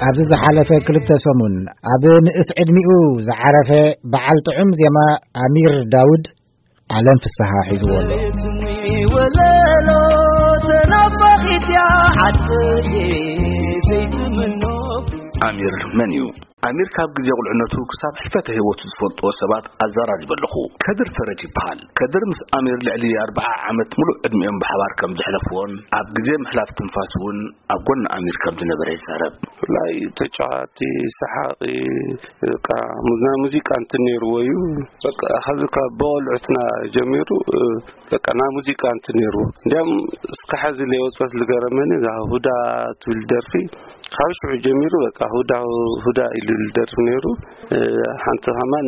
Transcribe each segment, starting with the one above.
ኣብዚ ዝሓለፈ ክልተ ሰሙን ኣብ ንእስ ዕድሚኡ ዝዓረፈ በዓል ጥዑም ዜማ ኣሚር ዳውድ ዓለም ፍስሃ ሒዝዎ ኣሎ። ወለሎ ተናፋቂት እያ ዓደየ ዘይትምኖ። ኣሚር መን እዩ? ኣሚር ካብ ግዜ ቁልዕነቱ ክሳብ ሕልፈተ ህይወቱ ዝፈልጥዎ ሰባት ኣዘራሪበ ኣለኹ። ከድር ፈረጅ ይበሃል። ከድር ምስ ኣሚር ልዕሊ ኣርብዓ ዓመት ሙሉእ ዕድሚኦም ብሓባር ከም ዘሕለፍዎን ኣብ ግዜ ምሕላፍ ትንፋስ እውን ኣብ ጎኒ ኣሚር ከም ዝነበረ ይዛረብ። ብፍላይ ተጫዋቲ፣ ሰሓቂ፣ በቃ ናይ ሙዚቃ እንትን ነይርዎ እዩ። በቃ ካብዚ ካብ ብቆልዕትና ጀሚሩ በቃ ናይ ሙዚቃ እንትን ነይርዎ። እንዲያም እስከ ሐዚ ለይወፀት ልገረመኒ እዛ ሁዳ ትብል ደርፊ ካብ ሽዑ ጀሚሩ በቃ ሁዳ ሁዳ ኢሉ ልደርፍ ነይሩ። ሓንቲ ከማን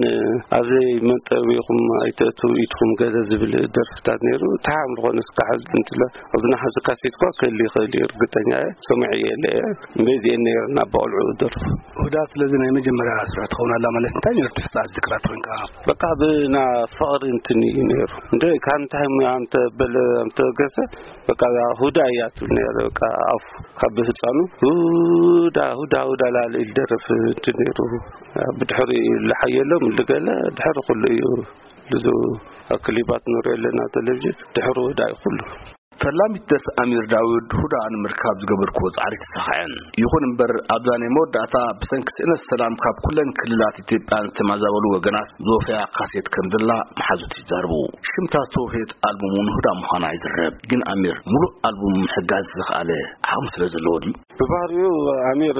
ኣብዘይ መንጠቢኹም ኣይተእትው ኢድኩም ገለ ዝብል ደርፍታት ነይሩ። ተሓም ዝኾነ እስከ ሐዚ እንትለ ኣብዚ ናሓዚ ካሴት እኳ ክህል ይኽእል እዩ፣ እርግጠኛ እየ። ሰሚዐ እየ እለ እየ። እምበይ እዚአን ነይረን ኣብ ቆልዑ ደርፉ። ውዳት ስለዚ ናይ መጀመርያ ስራሕ ትኸውን ኣላ ማለት እንታይ ነይሩ? ትሕጻ ዝክራት ኮንካ በቃ ብና ፍቕሪ እንትን እዩ ነይሩ። እንደ ካብ እንታይ ኣምተ በለ ኣምተ ገሰ በቃ ሁዳ እያ ትብል ነይረ። በቃ ኣፉ ካብ ህፃኑ ሁዳ ሁዳ ሁዳ ላለ ኢል ደርፍ እንትን ነይሩ። ብድሕሪ ልሓየሎም ልገለ ድሕሪ ኩሉ እዩ። ብዙ ክሊባት ንሪኦ ኣለና ቴሌቪዥን ድሕሪ ሁዳ እዩ ኩሉ። ፈላሚት ደርፊ ኣሚር ዳውድ ሁዳ ንምርካብ ዝገበርክዎ ጻዕሪ ተሳኽዐን። ይኹን እምበር ኣብዛ ናይ መወዳእታ ብሰንኪ ስእነት ሰላም ካብ ኩለን ክልላት ኢትዮጵያ ዝተማዛበሉ ወገናት ዝወፈያ ካሴት ከም ዘላ መሓዙት ይዛርቡ። ሽምታ ዝተወፈየት ኣልቡም እውን ሁዳ ምዃና ይዝረብ። ግን ኣሚር ሙሉእ ኣልቡም ምሕጋዝ ዝኸኣለ ዓቕሚ ስለ ዘለዎ ድዩ? ብባህሪኡ ኣሚር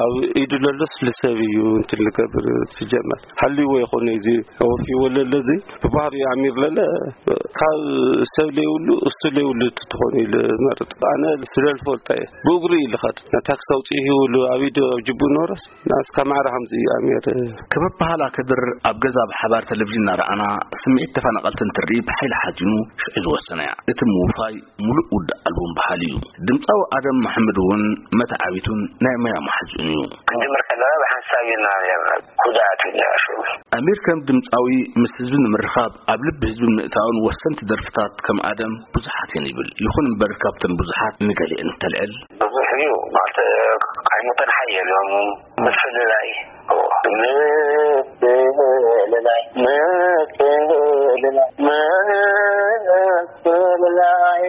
ኣብ ኢዱ ለሎስ ልሰብ እዩ እንትን ልገብር ትጀመር። ሃልይዎ ይኾነ እዚ ወፊዎ ለሎ እዚ ብባህሪኡ ኣሚር ለለ ካብ ሰብ ለይብሉ እሱ ለይብሉ ትኾን ኢሉ መርጥ። ኣነ ስለ ልፈልጦ እየ ብእግሩ እዩ ልኸድ። ነታ ክሳብ ውፅኢ ይብሉ ኣብ ኢዱ ኣብ ጅቡ ኖረስ ናስካ ማዕረ ከምዚ እዩ ኣሚር። ከበባህላ ከድር ኣብ ገዛ ብሓባር ቴሌቪዥን እናረኣና ስምዒት ተፈናቐልቲ እንትርኢ ብሓይሊ ሓዚኑ ሽዑ ዝወሰነ እያ። እቲ ምውፋይ ሙሉእ ውድእ ኣልቡም በሃሊ እዩ። ድምፃዊ ኣደም መሓመድ እውን መተዓቢቱን ናይ ሞያ መሓዝኡን እዩ። ክንጅምር ከለና ብሓንሳብ ኢና ነርና። ጉድኣት ኢልና ሽዑ። ኣሚር ከም ድምፃዊ ምስ ህዝቢ ንምርኻብ ኣብ ልቢ ህዝቢ ምእታውን ወሰንቲ ደርፍታት ከም ኣደም ብዙሓት እየን ይብል። ይኹን እምበር ካብተን ብዙሓት ንገሊአን እንተልዕል። ብዙሕ እዩ ማለት ኣይሞተን ሓየሎም ምፍልላይ ምፍልላይ ምፍልላይ ምፍልላይ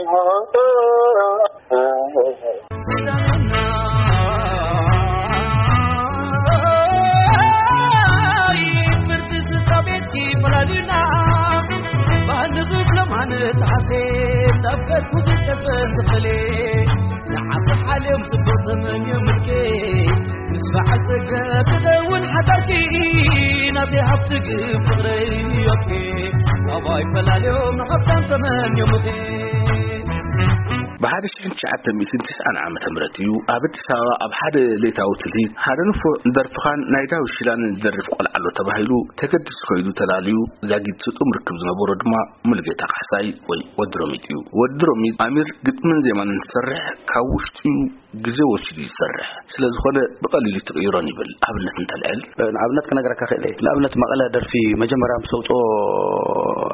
ብሓደ ሽሕን ትሽዓተ ሚእትን ትስዓን ዓመተ ምህረት እዩ ኣብ ኣዲስ ኣበባ ኣብ ሓደ ለይታዊ ትልሂት ሓደ ንፉዕ ንደርፍኻን ናይ ዳዊት ሽላን ዝደርፍ ቆልዓ ኣሎ ተባሂሉ ተገዲሱ ከይዱ ተላልዩ። ዛጊት ስጡም ርክብ ዝነበሮ ድማ ሙሉጌታ ካሕሳይ ወይ ወዲ ሮሚጥ እዩ። ወዲ ሮሚጥ ኣሚር ግጥምን ዜማን እንትሰርሕ ካብ ውሽጡ እዩ ግዜ ወሲዱ ይሰርሕ። ስለዝኾነ ብቐሊሉ ትቕይሮን ይብል ኣብነት እንተልዕል። ንኣብነት ክነግረካ ክእል እየ። ንኣብነት መቐለ ደርፊ መጀመርያ ምስ ኣውፅኦ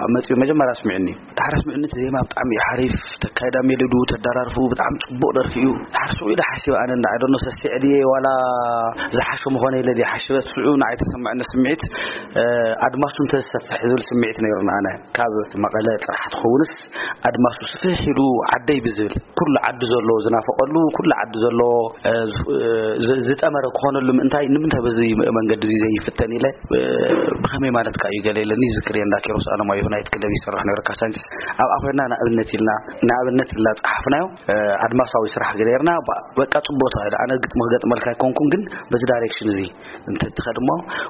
ኣብ መፅኡ መጀመርያ ስሚዕኒ። ዳሕራ ስሚዕኒ እቲ ዜማ ብጣዕሚ እዩ ሓሪፍ፣ ተካይዳ ሜሎዱ ተደራርፉ ብጣዕሚ ፅቡቕ ደርፊ እዩ። ዳሕር ስኡ ኢለ ሓሲበ ኣነ እንዳ ኣደኖ ሰሲዐ ድየ ዋላ ዝሓሾ ምኾነ ኢለ ድየ ሓሲበ ስኡ ንዓይ ተሰማዕኒ ስምዒት ኣድማሱ እንተዝሰፍሕ ዝብል ስምዒት ነይሩና ኣነ ካብ መቐለ ጥራሕ ትኸውንስ ኣድማሱ ስፍሕ ኢሉ ዓደይ ብዝብል ኩሉ ዓዲ ዘሎ ዝናፈቀሉ ኩሉ ዓዲ ዘሎ ዝጠመረ ክኾነሉ ምእንታይ ንምንታይ በዚ መንገዲ እዚ ዘይፍተን ኢለ ብኸመይ ማለት ከ እዩ ገለ ኢለኒ ዝክር እየ። እንዳ ኪሮስ ኣለማየሁ ናይት ክለብ ይሰርሕ ነይሩ ካሳንችስ ኣብኣ ኮይና ንኣብነት ኢልና ንኣብነት ኢልና ጸሓፍናዮ። ኣድማሳዊ ስራሕ ገይርና በቃ ጽቡቅ ተባሂሉ ኣነ ግጥሚ ክገጥመልካ ኣይኮንኩን ግን በዚ ዳይሬክሽን እዚ እንተትኸድሞ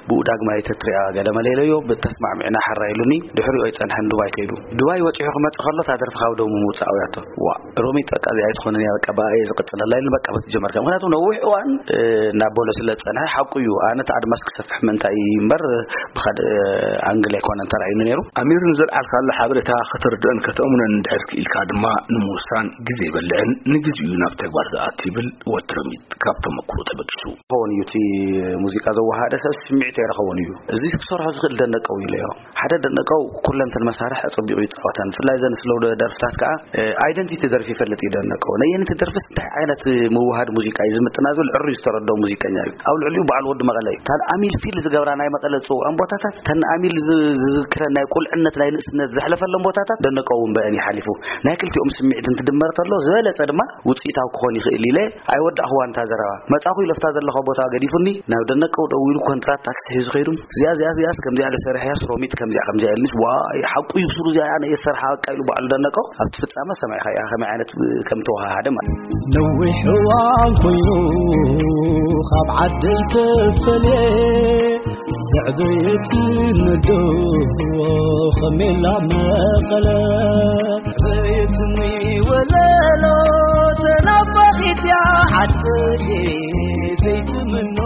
ብኡ ዳግማይ ተትሪኣ ገለ መለለዮ ብተስማዕሚዕና ሓራ ኢሉኒ። ድሕሪኡ ኣይጸንሐን ዱባይ ከይዱ ዱባይ ወጺሑ ክመጽእ ከሎ እታ ደርፊ ካብ ደሙ ምውጻእ ኣውያቶ። ዋ ሮሚጥ በቃ እዚኣ ኣይትኾንን እያ በቃ ብኣ እየ ዝቕጽለላ ኢሉ በቃ በቲ ጀመርካ ምክንያቱ ነዊሕ እዋን ናብ ቦሎ ስለ ዝጸንሐ ሓቁ እዩ። ኣነ እቲ ኣድማስ ክሰፍሕ ምእንታይ እምበር ብካልእ ኣንግል ኣይኮነን ተራእዩኒ ነይሩ። ኣሚር ዘልዓልካሉ ሓበሬታ ከተርድኦን ከተእምኖን እንድሕር ክኢልካ ድማ ንምውሳን ግዜ ይበልዕን ንግዜኡ ናብ ተግባር ዝኣቱ ይብል ወዲ ሮሚጥ ካብ ተመክሮ ተበጊሱ። ክኸውን እዩ እቲ ሙዚቃ ዘወሃደ ሰብ ስምዒት ኣይረኸቦን እዩ። እዚ ክሰርሖ ዝኽእል ደነቀው ኢለዮ። ሓደ ደነቀው ኩለንትን መሳርሒ ኣጸቢቑ ይጻወተን። ብፍላይ ዘን ስለው ደርፍታት ከኣ፣ እ፣ ኣይደንቲቲ ደርፊ ይፈልጥ እዩ ደነቀው። ነየንቲ ደርፍስ እንታይ ዓይነት ምውሃድ ሙዚቃ እዩ ዝምጥና ዝብል ዕሩይ ዝተረድኦ ሙዚቀኛ እዩ። ኣብ ልዕሊኡ በዓል ወዲ መቐለ እዩ። እታ ኣሚል ፊል ዝገብራ ናይ መቐለ ዝጽውዖም ቦታታት፣ እተን ኣሚል ዝ-፣ ዝዝክረን ናይ ቁልዕነት ናይ ንእስነት ዘሕለፈሎም ቦታታት ደነቀው እውን በአን ይሓሊፉ። ናይ ክልቲኦም ስምዒት እንትድመር ተሎ ዝበለጸ ድማ ውጽኢታዊ ክኾን ይኽእል ኢለ ኣይወዳእኽዋን እታ ዘረባ። መጻኹ ኢለ ኣብታ ዘለኹ ቦታ ገዲፉኒ ናብ ደነቀው ደዊሉ ኮንትራት ታክሲ ሒዙ ኸይዱ። እዚኣ፣ እዚኣ፣ እዚኣስ ከምዚኣ ኢለ ሰሪሐያስ ሮሚጥ ከምዚኣ፣ ከምዚኣ ኢሉኒስ፣ ዋይ፣ ሓቁ እዩ ብሱሩ እዚኣ ኣነ እየ ዝሰርሓ በቃ ኢሉ በዓሉ ደነቀው ኣብቲ ፍጻመ ሰማዕኻያ ከመይ ዓይነት ከም ተወሃሃደ ማለት እዩ። ነዊሕ እዋን ኮይኑ ካብ ዓደይ ተፈልየ ዘዕበየት ነዶ ከሜላ መቐለ። ዘዕበየትኒ ወለሎ ተናፋቒት እያ ዓደየ ዘይትምኖ።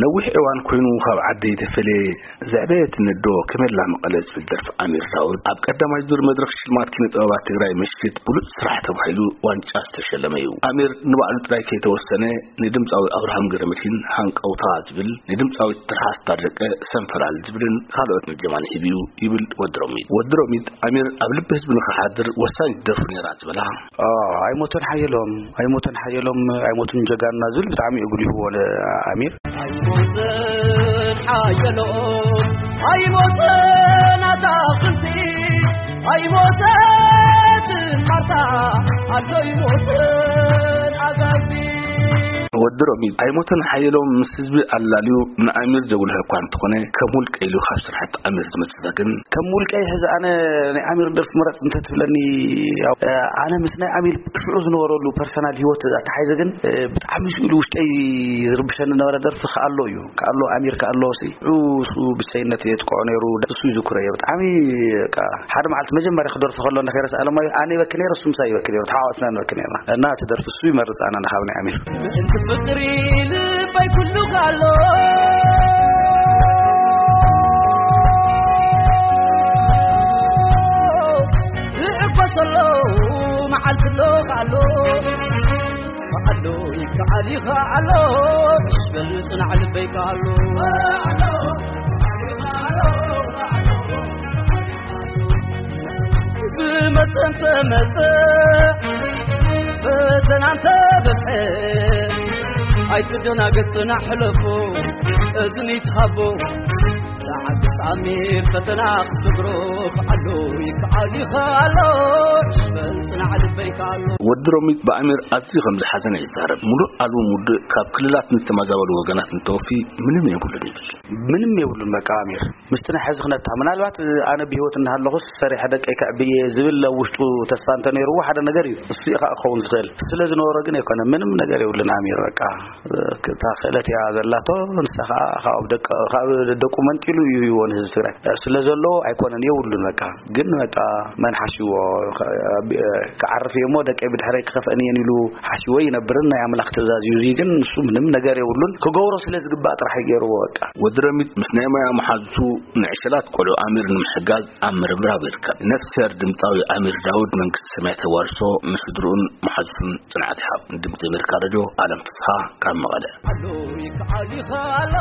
ነዊሕ እዋን ኮይኑ ካብ ዓደይ ተፈልየ ዘዕበየት ነዶ ከሜላ መቐለ ዝብል ደርፊ ኣሚር ዳውድ ኣብ ቀዳማይ ዙር መድረኽ ሽልማት ኪነ ጥበባት ትግራይ ምሽት ብሉጽ ስራሕ ተባሂሉ ዋንጫ ዝተሸለመ እዩ። ኣሚር ንባዕሉ ጥራይ ከይተወሰነ ንድምፃዊ ኣብርሃም ገረመድሂን ሃንቀውታ ዝብል፣ ንድምፃዊት ትርሃስ ታደቀ ሰንፈላል ዝብልን ካልኦት ጀማን ሂቡ እዩ ይብል ወዲ ሮሚጥ። ወዲ ሮሚጥ ኣሚር ኣብ ልቢ ህዝቢ ንኽሓድር ወሳኝ ደርፉ ነይራ ዝበላ። ኦ፣ ኣይሞተን ሓየሎም፣ ኣይሞተን ሓየሎም፣ ኣይሞቱን ጀጋኑና ዝብል ብጣዕሚ እዩ ጉሊህዎ ኣሚር። ኣይሞተን ሓየሎም፣ ኣይሞተን ኣታኽልቲ፣ ኣይሞተትን ማርታ፣ ኣዶ ኣይሞተን ኣጋዚ። ወዲ ሮሚጥ ኣይሞተን ሓየሎም ምስ ህዝቢ ኣላልዩ ንኣሚር ዘጉልሐ እኳ እንተኾነ፣ ከም ውልቀ ኢሉ ካብ ስራሕቲ ኣሚር ዝመጽእ ግን ከም ውልቀይ ሕዚ ኣነ ናይ ኣሚር ደርፊ ምረጽ እንተትብለኒ፣ ያው፣ ኣነ ምስ ናይ ኣሚር ሽዑ ዝነበረሉ ፐርሰናል ህይወት ኣተሓሒዘ ግን፣ ብጣዕሚ ስኢሉ ውሽጠይ ዝርብሸኒ ነበረ። ደርፊ ከኣሎ እዩ፣ ከኣሎ ኣሚር ከኣሎ ሲ፣ ሽዑ እሱ ብቸይነት የጥቅዖ ነይሩ። እሱ ይዝክሮ እየ። ብጣዕሚ በቃ ሓደ መዓልቲ መጀመርያ ክደርፎ ከሎ እንዳ ከይረስ ኣለማዮ ኣነ ይበኪ ነይረ፣ እሱ ምሳይ ይበኪ ነይሩ። ተሓዋወስና ንበኪ ነይርና። እና እቲ ደርፊ እሱ ይመርጽ ኣነ ንኻብ ናይ ኣሚር። ምእንቲ ፍቕሪ ልበይ ኩሉ ካሎ ዝዕበሰሎ መዓልቲ ኣሎ ካሎ። ከኣሎ ይከኣል ይኸኣሎ በል ጽናዕ ልበይ ከኣሎ። ዝመጸ እንተመጸ ፈተና እንተበዝሐ ኣይትደናገጽ ጽናዕ ሕለፎ እዝኒ ትሃቦ። ተዓግስ ኣሚር ፈተና ክስግሮ ከኣሎ ይከኣል ይኸኣሎ በል ጽናዕ ልበይ ከኣሎ። ወዲ ሮሚጥ ብኣሚር ኣዝዩ ከም ዝሓዘነ ይዛረብ። ሙሉእ ኣልቡም ውድእ ካብ ክልላት ንዝተመዛበሉ ወገናት እንተወፊ ምንም የብሉን ይብል። ምንም የብሉን በቃ ኣሚር ምስቲ ናይ ሕዚ ክነታ ምናልባት ኣነ ብህይወት እናሃለኹስ ሰሪሐ ደቀይ ከዕብየ ዝብል ኣብ ውሽጡ ተስፋ እንተነይርዎ ሓደ ነገር እዩ። እሱ እዩ ከዓ ክኸውን ዝኽእል። ስለ ዝነበሮ ግን ኣይኮነ ምንም ነገር የብሉን ኣሚር በቃ እታ ክእለት እያ ዘላቶ። ንሳ ከዓ ካብ ደቀ-፣ ካብ ደቁ መንጢሉ እዩ ሂብዎ ንህዝቢ ትግራይ። ስለ ዘሎ ኣይኮነን የብሉን በቃ። ግን በቃ መን ሓሽዎ ክዓርፍ እየ እሞ ደቀይ ብድሕረይ ክኸፍአን እየን ኢሉ ሓሽዎ ይነብርን ናይ ኣምላኽ ትእዛዝ እዩ። እዚ ግን ንሱ ምንም ነገር የብሉን። ክገብሮ ስለ ዝግባእ ጥራሕ እዩ ገይርዎ በቃ። ወዲ ረሚጥ ምስ ናይ ሞያ መሓዙቱ ንዕሸላት ቆልዑ ኣሚር ንምሕጋዝ ኣብ ምርብራብ ይርከብ። ነፍስሄር ድምፃዊ ኣሚር ዳውድ መንግስቲ ሰማይ ተዋርሶ ንስድርኡን መሓዙቱን ጽንዓት ይሃብ። ንድምፂ ኣሜሪካ ሬድዮ ኣለም ፍስሃ ካብ መቐለ። ኣሎ ይከኣል ይኸኣሎ